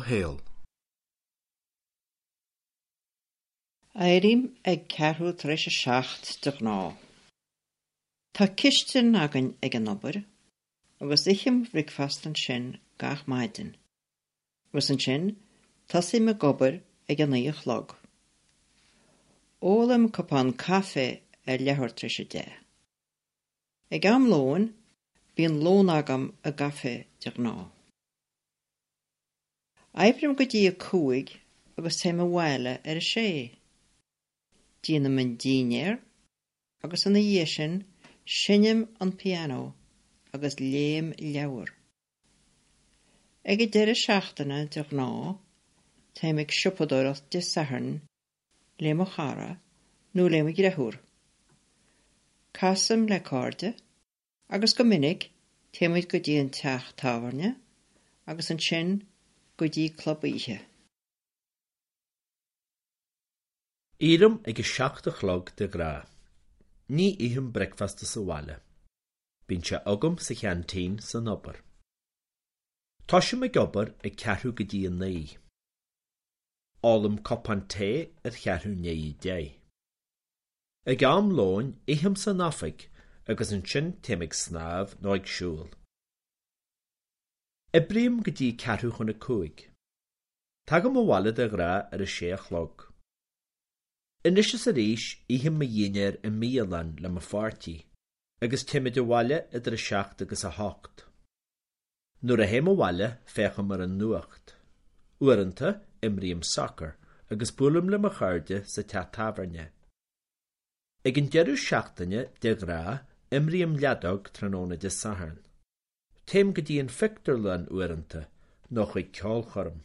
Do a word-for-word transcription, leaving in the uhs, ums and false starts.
shaol. Éirím ag ceathrú tar éis a seacht de ghnáth. Tá cistin againn ag an obair, agus ithim bricfeasta ansin gach maidin. Agus ansin tosaím ag obair ag a naoi a chlog. Ólaim cupán caife ar leathuair tar éis a deich. Ag am lóin, bíonn lón agam i gcaife de ghnáth. Oibrím go dtí a cúig agus téim abhaile ar a sé. Déanaim an dinnéar agus ina dhiaidh sin seinnim an pianó agus léim leabhar. Ag an deireadh seachtaine de ghnáth, téim ag siopadóireacht Dé Sathairn le mo chara nó le mo dheirfiúr. Casaim le cairde agus go minic téimid go dtí an teach tábhairne agus ansin go dtí club oíche. Éirím ag a seacht a chlog de ghnáth. Ní ithim bricfeasta sa bhaile. Bíonn sé agam sa cheaintín san obair. Tosaím ag obair ag ceathrú go dtí a naoi. Ólaim cupán tae ar cheathrú i ndiaidh a deich. Ag am lóin ithim san oifig agus ansin téim ag snámh nó ag siúl. Oibrím go dtí ceathrú chun a cúig. Tagaim abhaile de ghnáth ar a sé a chlog. Anois is arís ithim mo dhinnéar i mbialann le mo pháirtí, agus téimid abhaile idir a seacht agus a hocht. Nuair a théim abhaile féachaim ar an nuacht. Uaireanta imrím sacar agus buailim le mo chairde sa teach tábhairne. Ag an deireadh seachtaine de ghnáth imrím leadóg tráthnóna Dé Sathairn. Téim go dtí an phictiúrlann uaireanta nó chuig ceolchoirm.